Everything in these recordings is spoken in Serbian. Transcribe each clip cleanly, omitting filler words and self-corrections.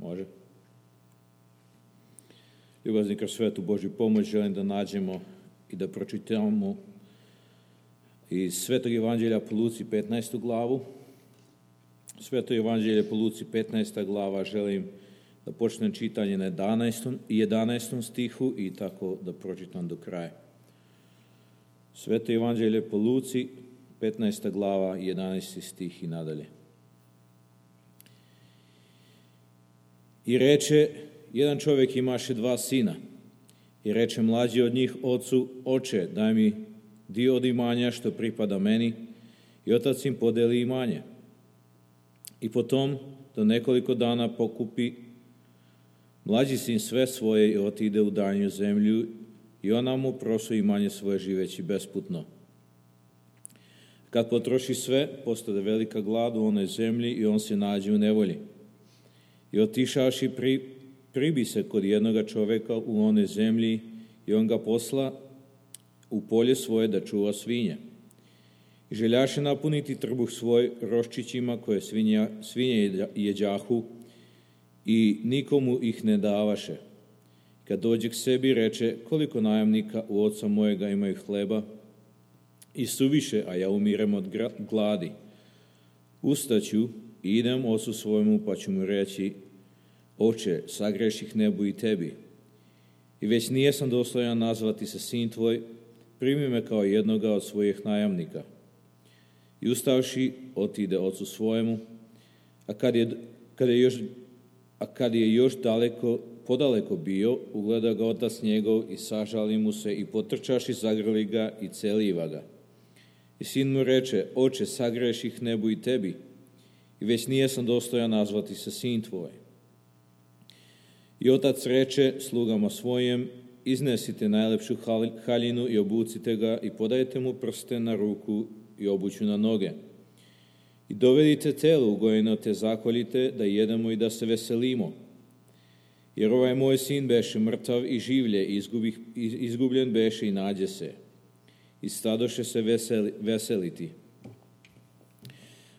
Može. Ljubazni, kroz svetu Božju pomoć želim da nađemo i da pročitamo iz Svetog Evanđelja po Luci 15. glavu. Sveto Evanđelje po Luci 15. glava želim da počnem čitanje na 11. stihu i tako da pročitam do kraja. Sveto Evanđelje po Luci 15. glava, 11. stih i nadalje. I reče, jedan čovjek imaše 2 sina. I reče mlađi od njih ocu, oče, daj mi dio od imanja što pripada meni. I otac im podeli imanje. I potom, do nekoliko dana pokupi mlađi sin sve svoje i otide u daljnju zemlju i ona mu prosu imanje svoje živeći besputno. Kad potroši sve, postade velika glad u onoj zemlji i on se nađe u nevolji. I otišavši pribi se kod jednoga čovjeka u onoj zemlji i on ga posla u polje svoje da čuva svinje. I željaše napuniti trbuh svoj roščićima koje svinje jeđahu i nikomu ih ne davaše. Kad dođe k sebi, reče, koliko najamnika u oca mojega imaju hleba i suviše, a ja umirem od gladi. Ustaću i idem ocu svojemu, pa ću mu reći, oče, sagreših nebu i tebi. I već nijesam dostojan nazvati se sin tvoj, primi me kao jednoga od svojih najamnika. I ustavši, otide ocu svojemu, a kad je još podaleko bio, ugleda ga otac njegov i sažali mu se i potrčaši, zagrli ga i celiva ga. I sin mu reče, oče, sagreših nebu i tebi, i već nijesam dostojan nazvati se sin tvoj. I otac reče slugama svojim, iznesite najlepšu haljinu i obucite ga i podajte mu prsten na ruku i obuću na noge. I dovedite telo ugojeno te zakoljite da jedemo i da se veselimo. Jer ovaj moj sin beše mrtav i življe, izgubljen beše i nađe se. I stadoše se veseliti.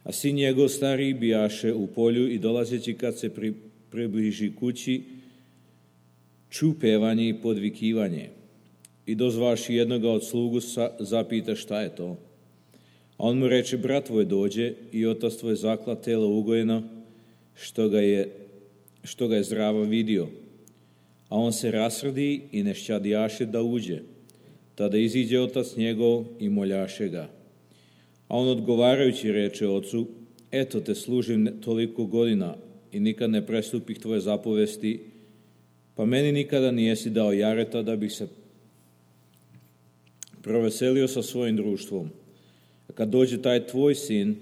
A sin njegov stariji bijaše u polju i dolazeći kad se približi kući, ču pevanje i podvikivanje. I dozvaši jednoga od slugu zapita šta je to. A on mu reče, brat tvoj dođe i otac tvoj zakla telo ugojeno, što ga je zdrava vidio. A on se rasrdi i ne šćadijaše da uđe. Tada iziđe otac njegov i moljaše ga. A on odgovarajući reče ocu, eto te služim toliko godina i nikad ne prestupih tvoje zapovesti, pa meni nikada nijesi dao jareta da bih se proveselio sa svojim društvom. A kad dođe taj tvoj sin,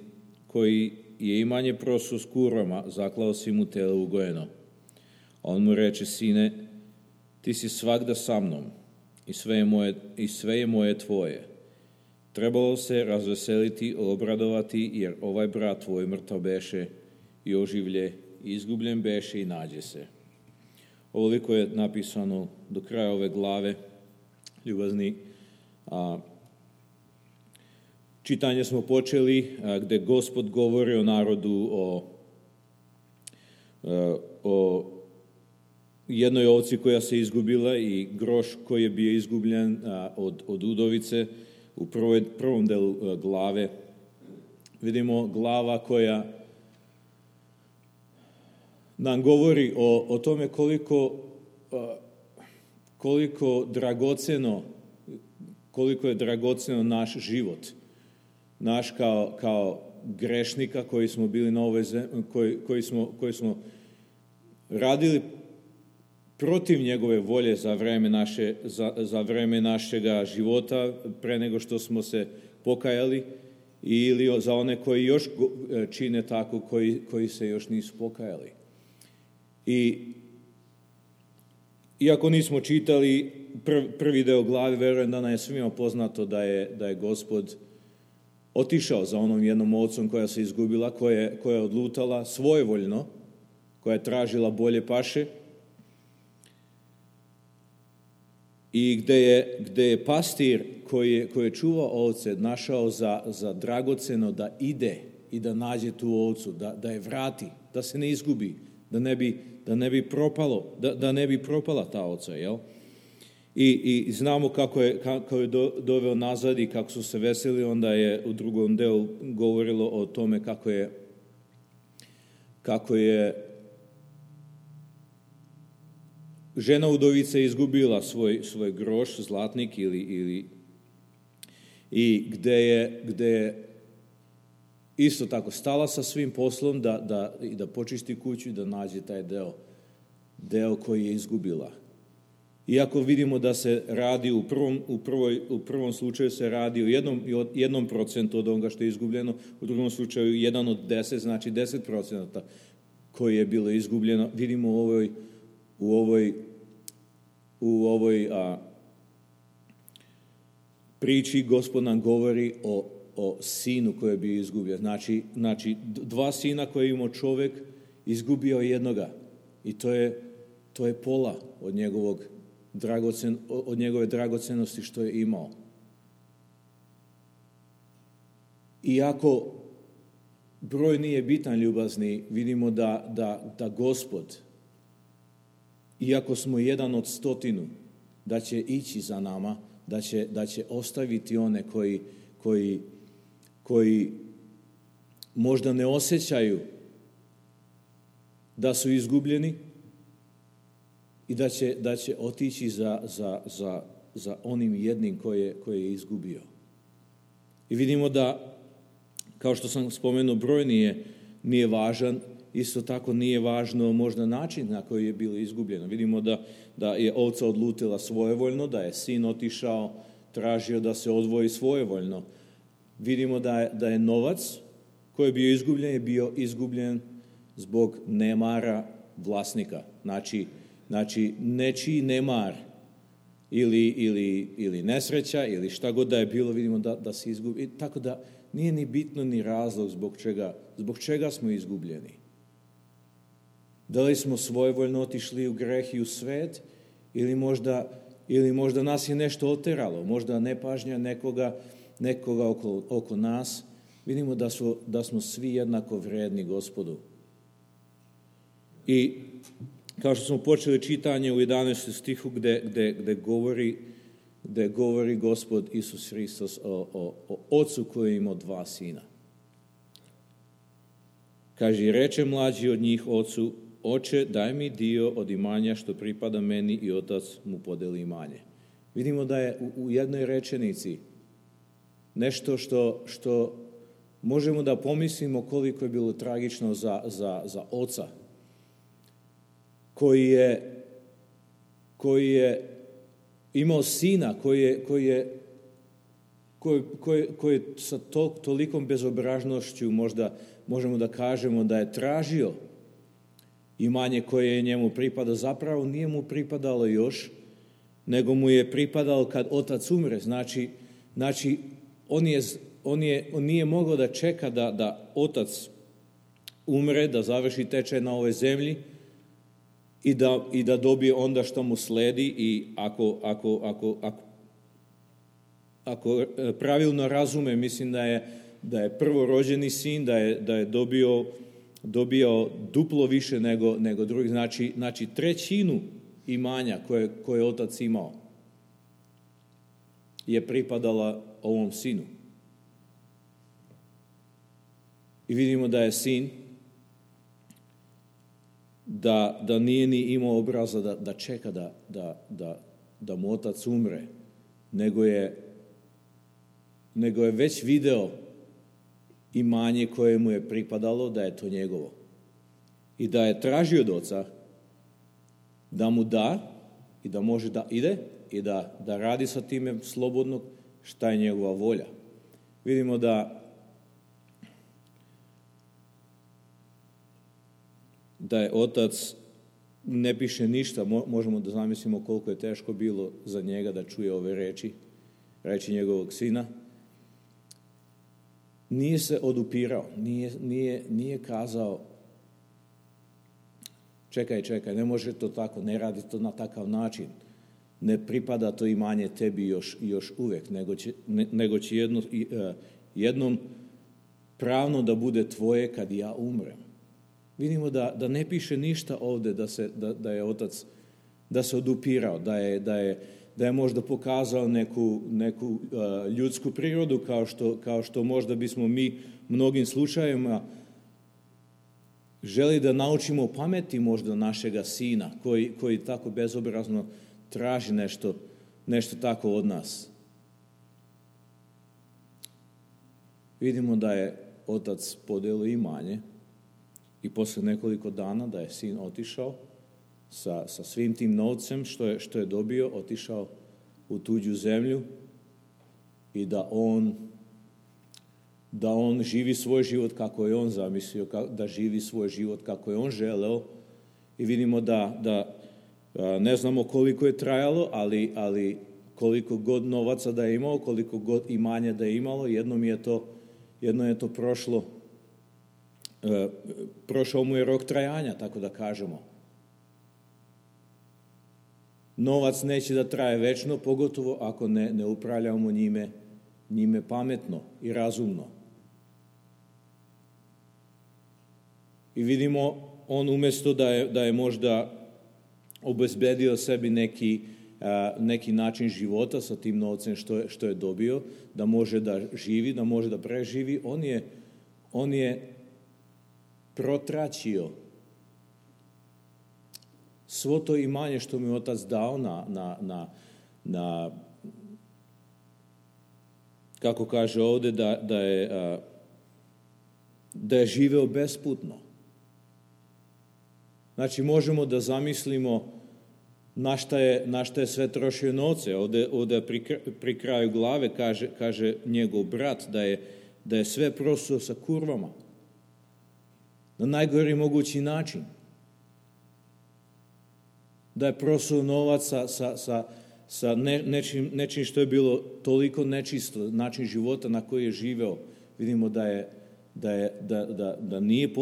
koji je imanje prosu s kurvama, zaklao si mu telo ugojeno. A on mu reče, sine, ti si svagda sa mnom i sve je moje tvoje. Trebalo se razveseliti, obradovati, jer ovaj brat tvoj mrtav beše i oživlje, izgubljen beše i nađe se. Ovoliko je napisano do kraja ove glave, ljubazni. Čitanje smo počeli gde Gospod govori o narodu, o jednoj ovci koja se izgubila i groš koji je bio izgubljen od udovice. U prvom delu glave vidimo glava koja nam govori o tome koliko je dragoceno naš život. Naš kao grešnika koji smo bili na ovoj zemlji, koji smo radili protiv njegove volje za vreme našega života, pre nego što smo se pokajali, ili za one koji još čine tako, koji se još nisu pokajali. I iako nismo čitali prvi deo glave, verujem da nam je svima poznato da je Gospod otišao za onom jednom ovcom koja se izgubila, koja je odlutala svojevoljno, koja je tražila bolje paše, i gde je pastir koji je čuvao ovce našao za dragoceno da ide i da nađe tu ovcu, da je vrati, da se ne izgubi, da ne bi propala ta oca, jel? I znamo kako je doveo nazad i kako su se veseli, onda je u drugom delu govorilo o tome kako je žena udovica izgubila svoj groš, zlatnik i gde je isto tako stala sa svim poslom da počisti kuću i da nađe taj deo koji je izgubila. Iako vidimo da se radi u prvom slučaju se radi o 1% od onoga što je izgubljeno, u drugom slučaju 1 od 10, znači 10% koje je bilo izgubljeno. Vidimo u ovoj priči Gospod nam govori o sinu koji je bio izgubljen. Znači 2 sina koje je imao čovjek, izgubio jednoga. I to je pola od njegove dragocenosti što je imao. Iako broj nije bitan, ljubazni, vidimo da Gospod, iako smo 1 od 100, da će ići za nama, da će ostaviti one koji možda ne osjećaju da su izgubljeni i da će otići za onim jednim koji je izgubio. I vidimo da, kao što sam spomenuo, broj nije važan, isto tako nije važno možda način na koji je bilo izgubljeno. Vidimo da je ovca odlutila svojevoljno, da je sin otišao, tražio da se odvoji svojevoljno. Vidimo da je novac koji je bio izgubljen zbog nemara vlasnika. Znači nečiji nemar ili nesreća ili šta god da je bilo, vidimo da se izgubi. Tako da nije ni bitno ni razlog zbog čega smo izgubljeni. Da li smo svojevoljno otišli u greh i u svet ili možda nas je nešto oteralo, možda nepažnja nekoga oko nas. Vidimo da smo svi jednako vredni Gospodu. I kao što smo počeli čitanje u 11. stihu gde govori Gospod Isus Hristos o ocu koji je imao 2 sina. Kaže, i reče mlađi od njih ocu, oče, daj mi dio od imanja što pripada meni, i otac mu podeli imanje. Vidimo da je u jednoj rečenici nešto što možemo da pomislimo koliko je bilo tragično za oca koji je imao sina koji je sa tolikom bezobražnošću, možda možemo da kažemo da je tražio imanje koje je njemu pripada. Zapravo nije mu pripadalo još, nego mu je pripadalo kad otac umre. Znači on nije mogao da čeka da otac umre, da završi tečaj na ovoj zemlji i da dobije onda što mu sledi. I ako pravilno razume, mislim da je prvorođeni sin, da je dobio duplo više nego drugi. Znači 1/3 imanja koje je otac imao je pripadala ovom sinu. I vidimo da je sin da nije ni imao obraza da čeka da mu otac umre, nego je već video imanje koje mu je pripadalo, da je to njegovo. I da je tražio od oca da mu da i da može da ide i da radi sa time slobodno šta je njegova volja. Vidimo da je otac, ne piše ništa, možemo da zamislimo koliko je teško bilo za njega da čuje ove reči njegovog sina. Nije se odupirao, nije kazao čekaj, ne može to tako, ne radi to na takav način, ne pripada to imanje tebi još uvek, nego će jednom pravno da bude tvoje kad ja umrem. Vidimo da ne piše ništa ovdje da je otac da se odupirao, da je možda pokazao neku ljudsku prirodu kao što možda bismo mi mnogim slučajevima želi da naučimo pameti možda našega sina koji tako bezobrazno traži nešto tako od nas. Vidimo da je otac podijelio imanje i poslije nekoliko dana da je sin otišao sa svim tim novcem što je dobio, otišao u tuđu zemlju i da on živi svoj život kako je on zamislio, da živi svoj život kako je on želeo. I vidimo da ne znamo koliko je trajalo, ali koliko god novaca da je imao, koliko god imanja da je imalo, jednom je to prošao mu je rok trajanja, tako da kažemo. Novac neće da traje večno, pogotovo ako ne upravljamo njime pametno i razumno. I vidimo, on umjesto da je možda obezbedio sebi neki način života sa tim novcem što je dobio, da može da živi, da može da preživi, on je protraćio svo to imanje što mu je otac dao na kako kaže ovdje, da je živeo besputno. Znači, možemo da zamislimo na šta je sve trošio novce. Ovdje pri kraju glave kaže njegov brat da je sve prosuo sa kurvama. Na najgori mogući način. Da je prosuo novac sa nečim što je bilo toliko nečisto, način života na koji je živeo. Vidimo da nije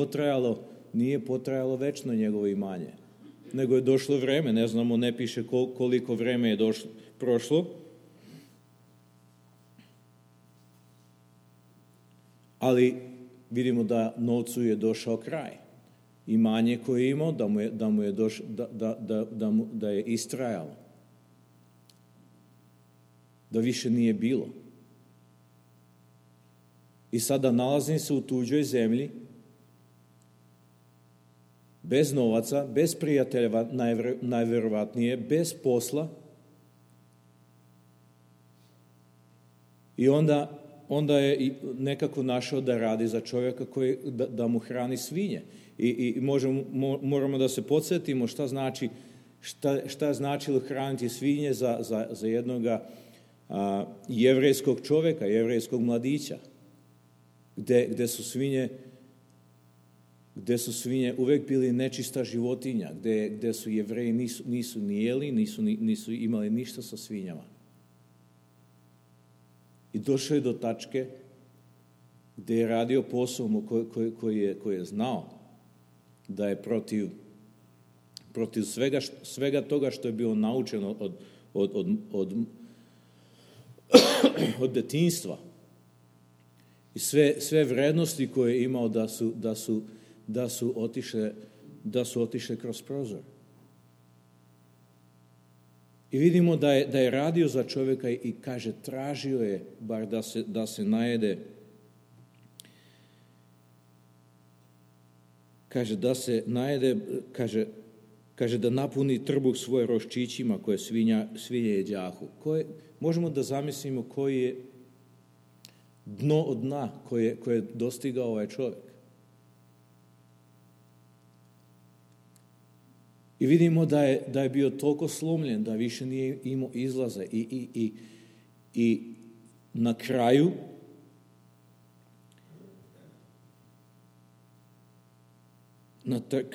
potrajalo večno njegovo imanje. Nego je došlo vreme, ne znamo, ne piše koliko vreme je prošlo. Ali vidimo da novcu je došao kraj. Imanje koje je imao, da je istrajalo. Da više nije bilo. I sada nalazim se u tuđoj zemlji, bez novaca, bez prijatelja, najverovatnije, bez posla. I onda je nekako našao da radi za čovjeka da mu hrani svinje. I moramo da se podsjetimo šta je značilo hraniti svinje za jednog jevrejskog čovjeka, jevrejskog mladića, gde su svinje uvijek bili nečista životinja, gde su Jevreji nisu ni jeli, nisu imali ništa sa svinjama. I došao je do tačke gde je radio posao koji je znao da je protiv svega toga što je bio naučen od detinjstva. I sve vrednosti koje je imao da su otišle kroz prozor. I vidimo da je radio za čovjeka i kaže, tražio je bar da se najede. Kaže, da se najede, kaže da napuni trbuh svoje roščićima koje svinje jeđahu. Možemo da zamislimo koji je dno od dna koje je dostigao ovaj čovjek. I vidimo da je bio toliko slomljen da više nije imao izlaza i na kraju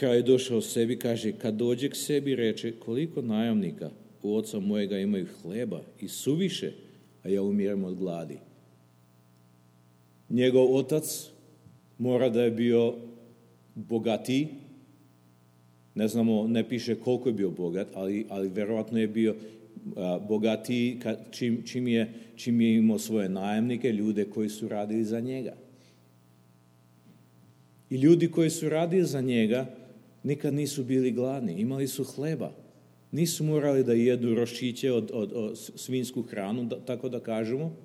je došao sebi, kaže, kad dođe k sebi, reče, koliko najamnika u oca mojega imaju hleba i suviše, a ja umiram od gladi. Njegov otac mora da je bio bogatiji. Ne znamo, ne piše koliko je bio bogat, ali verovatno je bio bogatiji čim je imao svoje najamnike, ljude koji su radili za njega. I ljudi koji su radili za njega nikad nisu bili gladni, imali su hleba. Nisu morali da jedu roščiće od svinsku hranu, tako da kažemo,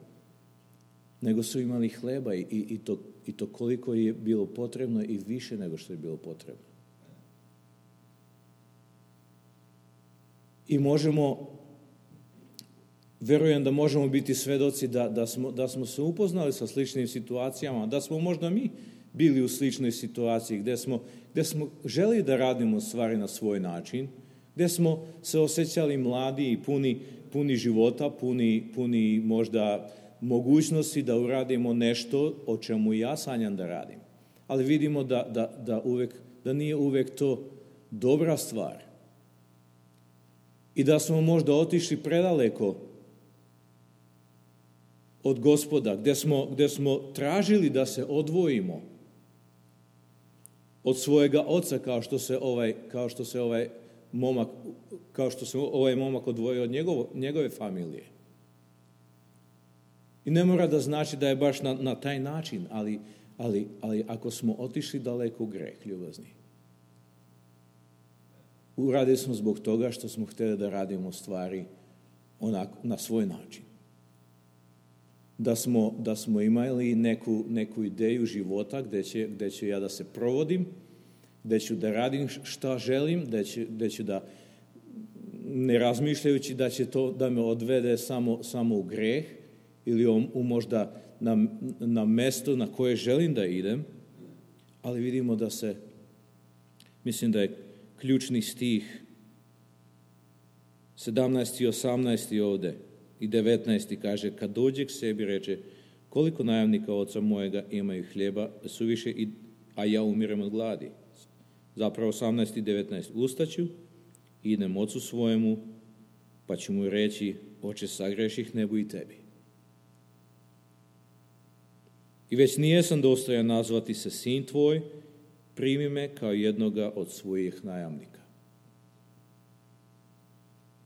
nego su imali hleba i to koliko je bilo potrebno i više nego što je bilo potrebno. I verujem da možemo biti svedoci da smo se upoznali sa sličnim situacijama, da smo možda mi bili u sličnoj situaciji gdje smo želi da radimo stvari na svoj način, gdje smo se osjećali mladi i puni života, puni možda mogućnosti da uradimo nešto o čemu ja sanjam da radim. Ali vidimo da nije uvijek to dobra stvar. I da smo možda otišli predaleko od Gospoda, gdje smo tražili da se odvojimo od svojega oca, kao što se ovaj momak odvojio od njegove familije. I ne mora da znači da je baš na taj način, ali ako smo otišli daleko u greh, ljubazni, uradili smo zbog toga što smo htjeli da radimo stvari na svoj način. Da smo imali neku ideju života gdje ću ja da se provodim, gdje ću da radim šta želim, gdje ću da, ne razmišljajući da će to da me odvede samo u greh ili možda na mesto na koje želim da idem, ali vidimo mislim da je ključni stih 17. i 18. ovdje i 19. kaže, kad dođe k sebi reče, koliko najamnika oca mojega imaju hljeba suviše, a ja umirem od gladi. Zapravo 18. i 19. Ustaću, idem ocu svojemu, pa ću mu reći, oče, sagreših nebu i tebi. I već nijesam dostojan nazvati se sin tvoj, primi me kao jednoga od svojih najamnika.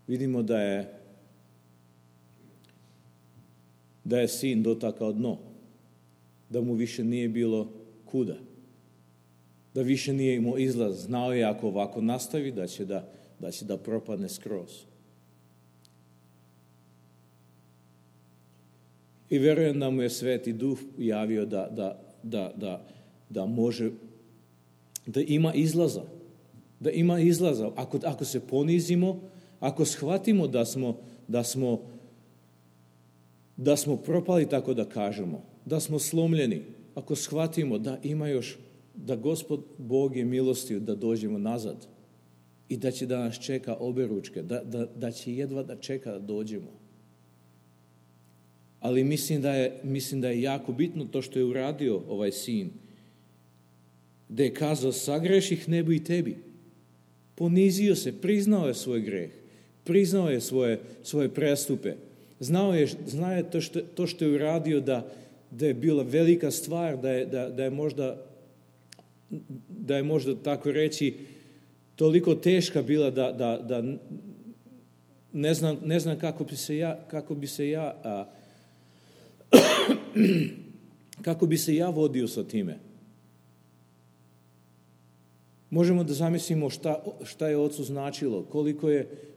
Vidimo da je sin dotakao dno, da mu više nije bilo kuda, da više nije imao izlaz. Znao je ako ovako nastavi da će da propadne skroz. I vjerujem da mu je Sveti Duh javio da može, da ima izlaza. Da ima izlaza. Ako se ponizimo, ako shvatimo da smo propali, tako da kažemo, da smo slomljeni, ako shvatimo da ima još, da Gospod Bog je milostiv da dođemo nazad i da će da nas čeka oberučke, da će jedva da čeka da dođemo. Ali mislim da je jako bitno to što je uradio ovaj sin, da je kazao, sagreših nebu i tebi. Ponizio se, priznao je svoj greh, priznao je svoje prestupe. Znao je to što je uradio da je bila velika stvar, da je možda tako reći toliko teška bila da ne znam kako bi se ja vodio sa time. Možemo da zamislimo šta je ocu značilo,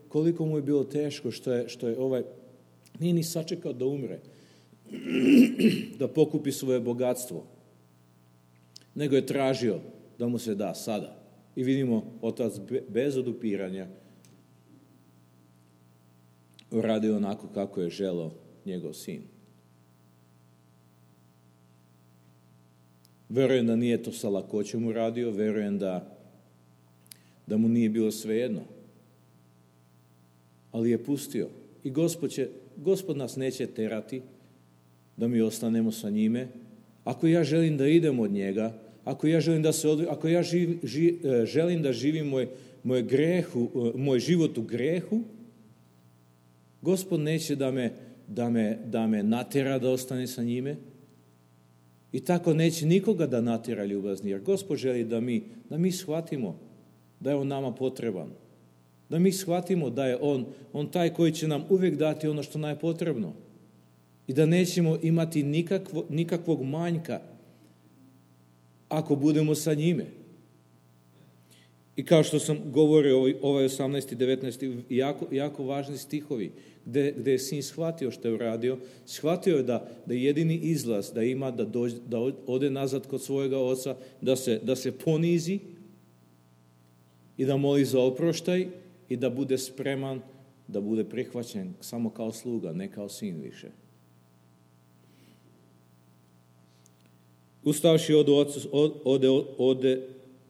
koliko mu je bilo teško što je nije ni sačekao da umre, da pokupi svoje bogatstvo, nego je tražio da mu se da sada. I vidimo, otac bez odupiranja radi onako kako je želeo njegov sin. Verujem da nije to sa lakoćom uradio, verujem da mu nije bilo svejedno. Ali je pustio. I Gospod nas neće terati da mi ostanemo sa njime. Ako ja želim da idem od njega, ako ja želim da se ako ja želim da živim moj život u grehu, Gospod neće da me natjera da ostane sa njime. I tako neće nikoga da natjera, ljubazni, jer Gospod želi da mi shvatimo da je on nama potreban. Da mi shvatimo da je on taj koji će nam uvijek dati ono što nam je potrebno. I da nećemo imati nikakvog manjka ako budemo sa njime. I kao što sam govorio, ovaj 18. i 19. jako važni stihovi, gde je sin shvatio što je uradio. Shvatio je da jedini izlaz da ima, da ode nazad kod svojega oca, da se ponizi i da moli za oproštaj i da bude spreman, da bude prihvaćen samo kao sluga, ne kao sin više. Ustavši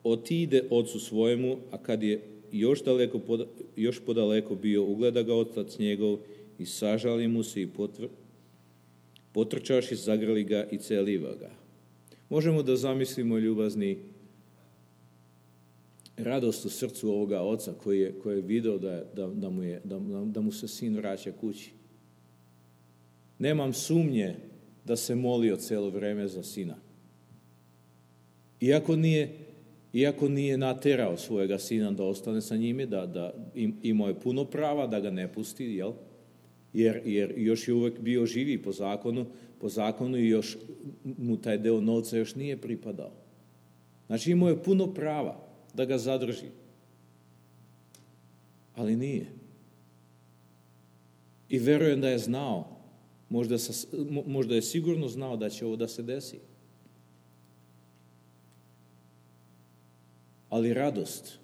otide ocu svojemu, a kad je još podaleko bio, ugleda ga otac njegov i sažali mu se i potrčaši, zagrli ga i celiva ga. Možemo da zamislimo, ljubazni, radost u srcu ovoga oca koji je video da mu se sin vraća kući. Nemam sumnje da se molio celo vreme za sina. Iako nije naterao svojega sina da ostane sa njime, da imao je puno prava da ga ne pusti, jel? Jer još je uvek bio živi po zakonu i još mu taj deo novca još nije pripadao. Znači imao je puno prava da ga zadrži. Ali nije. I verujem da je znao, možda je sigurno znao da će ovo da se desi. Ali radost,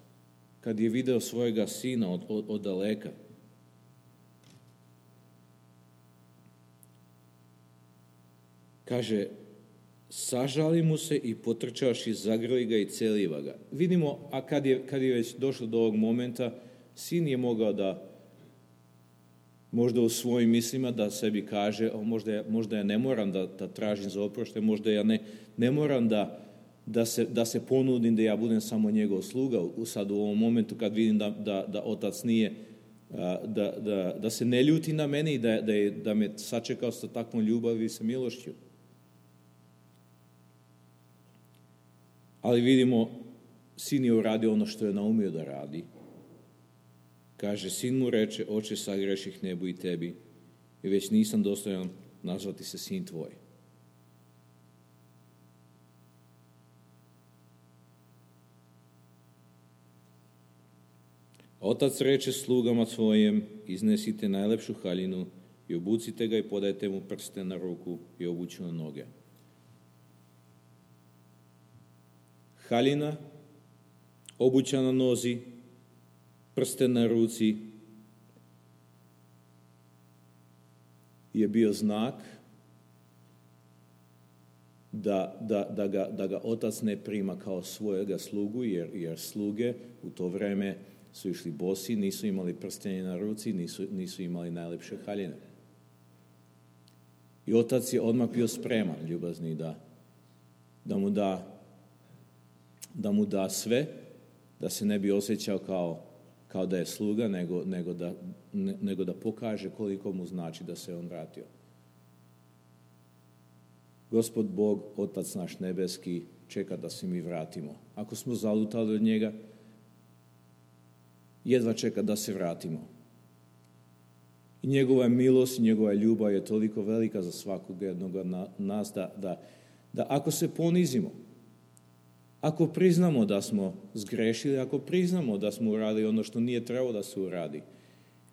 kad je video svojega sina od daleka, kaže, sažali mu se i potrčaši, zagrli ga i celiva ga. Vidimo, a kad je već došlo do ovog momenta, sin je mogao da, možda u svojim mislima, da sebi kaže, možda ja ne moram da tražim za oproštaj, možda ja ne moram da se ponudim da ja budem samo njegov sluga. Sad u ovom momentu kad vidim da otac nije, da se ne ljuti na mene i da me sačekao sa takvom ljubavi i sa milošću. Ali vidimo, sin je uradio ono što je naumio da radi. Kaže, sin mu reče, oče, sagreših nebu i tebi, i već nisam dostojan nazvati se sin tvoj. Otac reče slugama svojim, iznesite najlepšu haljinu i obucite ga i podajte mu prste na ruku i obuću na noge. Haljina, obuća na nozi, prste na ruci je bio znak da ga otac ne prima kao svojega slugu, jer sluge u to vreme su išli bosi, nisu imali prstenje na ruci, nisu imali najlepše haljine. I otac je odmah bio spreman, ljubazni, da mu da sve, da se ne bi osjećao kao da je sluga, nego da pokaže koliko mu znači da se on vratio. Gospod Bog, Otac naš nebeski, čeka da se mi vratimo. Ako smo zalutali od njega, jedva čeka da se vratimo. I njegova milost i njegova ljubav je toliko velika za svakog jednog od nas da ako se ponizimo, ako priznamo da smo zgrešili, ako priznamo da smo uradili ono što nije trebalo da se uradi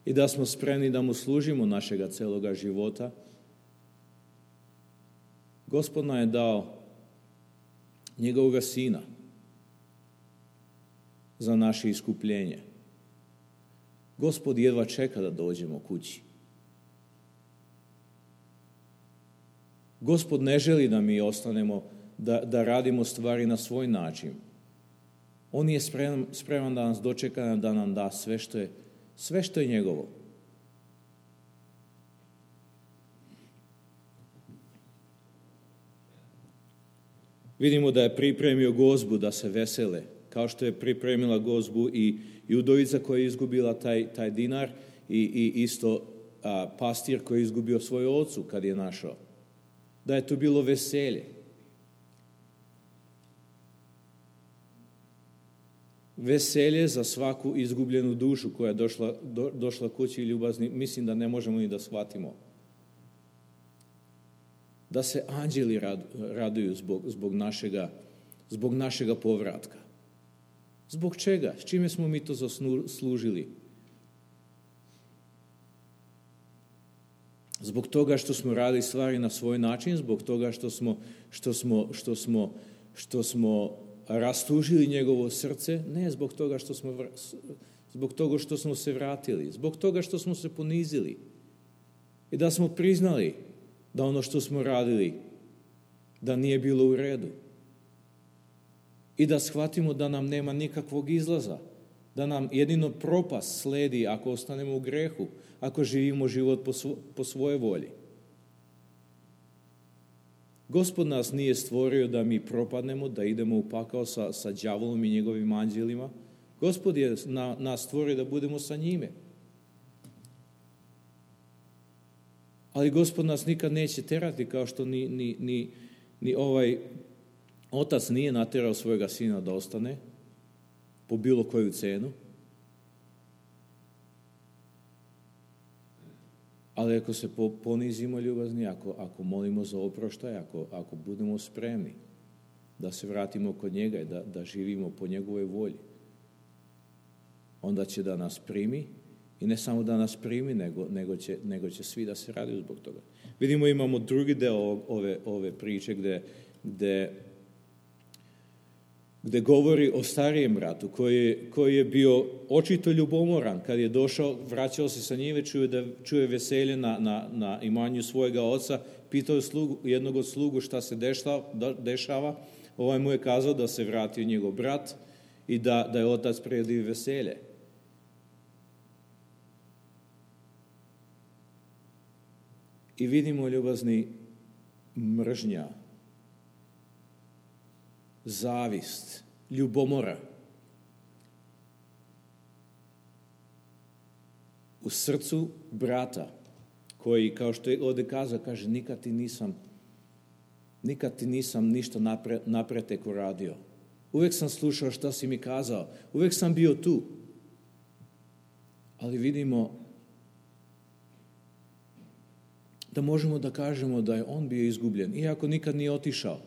i da smo spremni da mu služimo našega celoga života, Gospod nam je dao njegovog sina za naše iskupljenje. Gospod jedva čeka da dođemo kući. Gospod ne želi da mi ostanemo, da radimo stvari na svoj način. On je spreman da nas dočeka, da nam da sve što je njegovo. Vidimo da je pripremio gozbu da se vesele, kao što je pripremila gozbu i udovica koja je izgubila taj dinar i isto pastir koji je izgubio svoju ocu kad je našao. Da je to bilo veselje. Veselje za svaku izgubljenu dušu koja je došla kući ljubazni, mislim da ne možemo ni da shvatimo. Da se anđeli raduju zbog zbog našega povratka. Zbog čega? S čime smo mi to zaslužili? Zbog toga što smo radili stvari na svoj način, zbog toga što smo rastužili njegovo srce, ne zbog toga što smo se vratili, zbog toga što smo se ponizili i da smo priznali da ono što smo radili da nije bilo u redu i da shvatimo da nam nema nikakvog izlaza, da nam jedino propast sledi ako ostanemo u grehu, ako živimo život po svojoj volji. Gospod nas nije stvorio da mi propadnemo, da idemo u pakao sa đavolom i njegovim anđelima. Gospod je nas stvorio da budemo sa njime. Ali Gospod nas nikad neće terati kao što ni ovaj otac nije naterao svojega sina da ostane po bilo koju cenu. Ali ako se ponizimo ljubazni, ako molimo za oproštaj, ako budemo spremni da se vratimo kod njega i da živimo po njegovoj volji, onda će da nas primi i ne samo da nas primi, nego će svi da se raduju zbog toga. Vidimo, imamo drugi deo ove priče gde govori o starijem bratu koji je bio očito ljubomoran. Kad je došao, vraćao se sa njive, čuje veselje na imanju svojega oca, pitao je jednog od slugu šta se dešava. Ovaj mu je kazao da se vratio njegov brat i da je otac priredio veselje. I vidimo, ljubazni, mržnja, zavist, ljubomora u srcu brata koji, kao što je ovdje kazao, kaže nikad ti nisam ništa napretek uradio. Uvijek sam slušao šta si mi kazao, uvijek sam bio tu. Ali vidimo da možemo da kažemo da je on bio izgubljen, iako nikad nije otišao.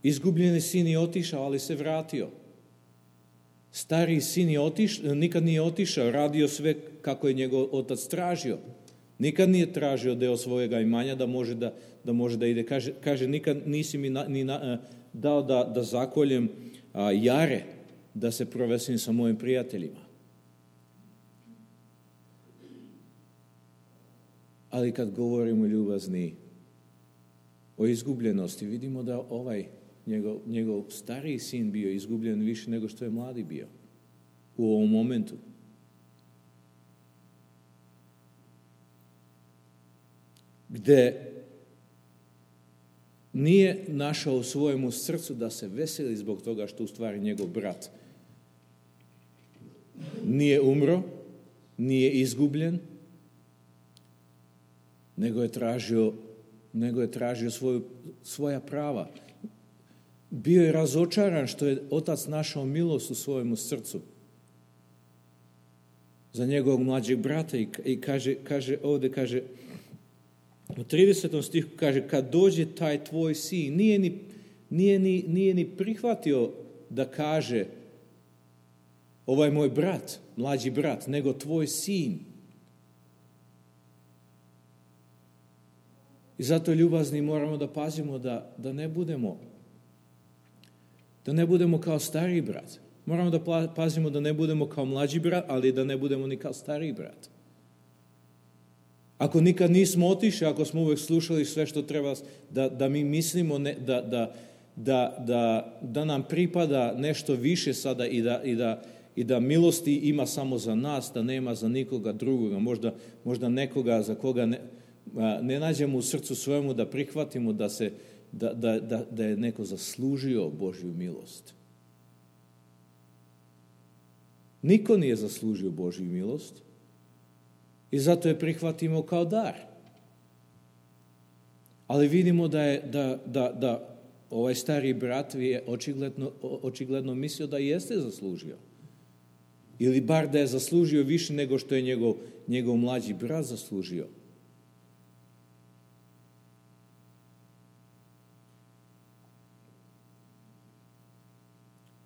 Izgubljeni sin je otišao, ali se vratio. Stariji sin nikad nije otišao, radio sve kako je njegov otac tražio. Nikad nije tražio deo svojega imanja da može da ide. Kaže nikad nisi mi dao da zakoljem jare, da se provesim sa mojim prijateljima. Ali kad govorimo, ljubazni, o izgubljenosti, vidimo da njegov stariji sin bio izgubljen više nego što je mladi bio u ovom momentu. Gde nije našao u svojemu srcu da se veseli zbog toga što u stvari njegov brat nije umro, nije izgubljen, nego je tražio svoja prava. Bio je razočaran što je otac našao milost u svojemu srcu za njegovog mlađeg brata i kaže ovdje, u 30. stihu kaže, kad dođe taj tvoj sin, nije ni prihvatio da kaže ovaj moj brat, mlađi brat, nego tvoj sin. I zato, ljubazni, moramo da pazimo da ne budemo kao stariji brat. Moramo da pazimo da ne budemo kao mlađi brat, ali da ne budemo ni kao stariji brat. Ako nikad nismo otišli, ako smo uvek slušali sve što treba, da mi mislimo da nam pripada nešto više sada i da milosti ima samo za nas, da nema za nikoga drugoga, možda nekoga za koga ne nađemo u srcu svojemu da prihvatimo da je neko zaslužio Božju milost. Niko nije zaslužio Božju milost i zato je prihvatimo kao dar. Ali vidimo da ovaj stari brat je očigledno mislio da jeste zaslužio. Ili bar da je zaslužio više nego što je njegov mlađi brat zaslužio.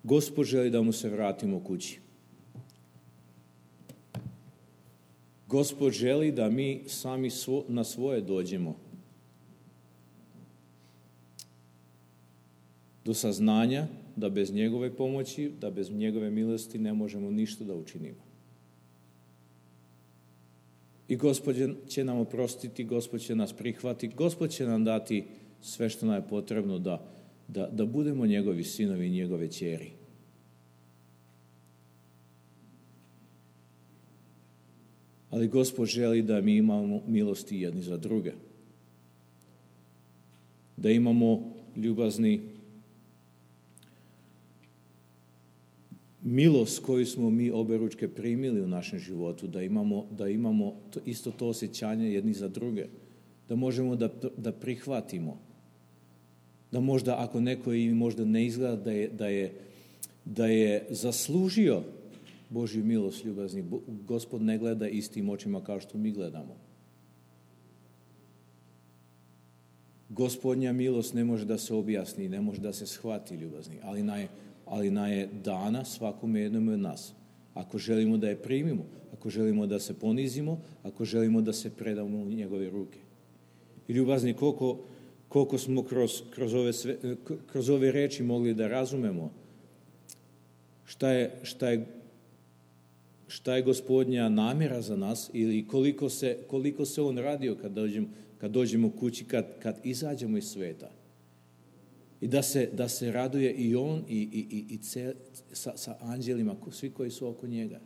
Gospod želi da mu se vratimo kući. Gospod želi da mi sami na svoje dođemo do saznanja da bez njegove pomoći, da bez njegove milosti ne možemo ništa da učinimo. I Gospod će nam oprostiti, Gospod će nas prihvatiti, Gospod će nam dati sve što nam je potrebno da budemo njegovi sinovi i njegove ćeri. Ali Gospod želi da mi imamo milosti jedni za druge. Da imamo ljubazni milost koju smo mi oberučke primili u našem životu, da imamo isto to osjećanje jedni za druge, da možemo da prihvatimo, da možda ako neko i možda ne izgleda da je zaslužio Božju milost ljubazni, Gospod ne gleda istim očima kao što mi gledamo. Gospodnja milost ne može da se objasni, ne može da se shvati ljubazni, ali na je dana svakome jednome od nas. Ako želimo da je primimo, ako želimo da se ponizimo, ako želimo da se predamo u njegove ruke. I ljubazni, koliko smo kroz ove reči mogli da razumemo šta je Gospodnja namjera za nas ili koliko se on radio kad dođemo kući, kad izađemo iz sveta. I da se raduje i on i sa anđelima, svi koji su oko njega.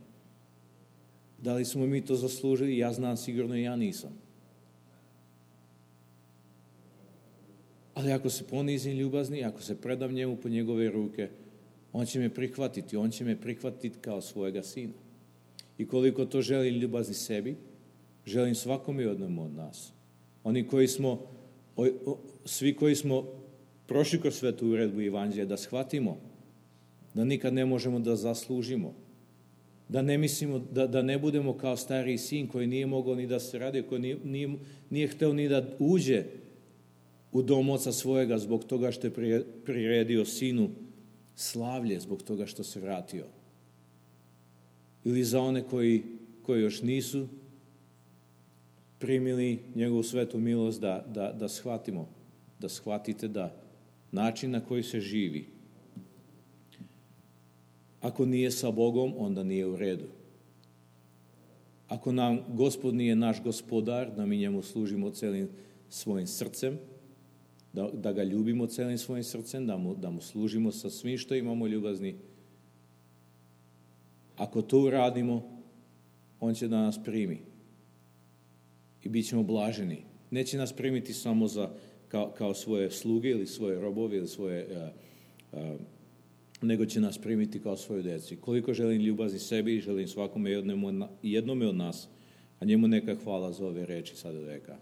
Da li smo mi to zaslužili? Ja znam sigurno i ja nisam. Ali ako se ponizim ljubazni, ako se predam njemu po njegove ruke, on će me prihvatiti, on će me prihvatiti kao svojega sina. I koliko to želim ljubazni sebi, želim svakome jednomu od nas. Oni koji smo, svi koji smo prošli kroz svetu uredbu Evanđelja, da shvatimo da nikad ne možemo da zaslužimo, da ne mislimo, da ne budemo kao stariji sin koji nije mogao ni da se radi, koji nije hteo ni da uđe u dom oca svojega zbog toga što je priredio sinu slavlje, zbog toga što se vratio. Ili za one koji još nisu primili njegovu svetu milost, da shvatimo, da shvatite da način na koji se živi, ako nije sa Bogom, onda nije u redu. Ako nam Gospod nije naš gospodar, da mi njemu služimo celim svojim srcem, da ga ljubimo celim svojim srcem, da mu služimo sa svim što imamo ljubazni. Ako to uradimo, on će da nas primi i bit ćemo blaženi. Neće nas primiti samo kao svoje sluge ili svoje robove ili nego će nas primiti kao svoju djecu. Koliko želim ljubazni sebi i želim svakome jednome od nas, a njemu neka hvala za ove reči sada do veka.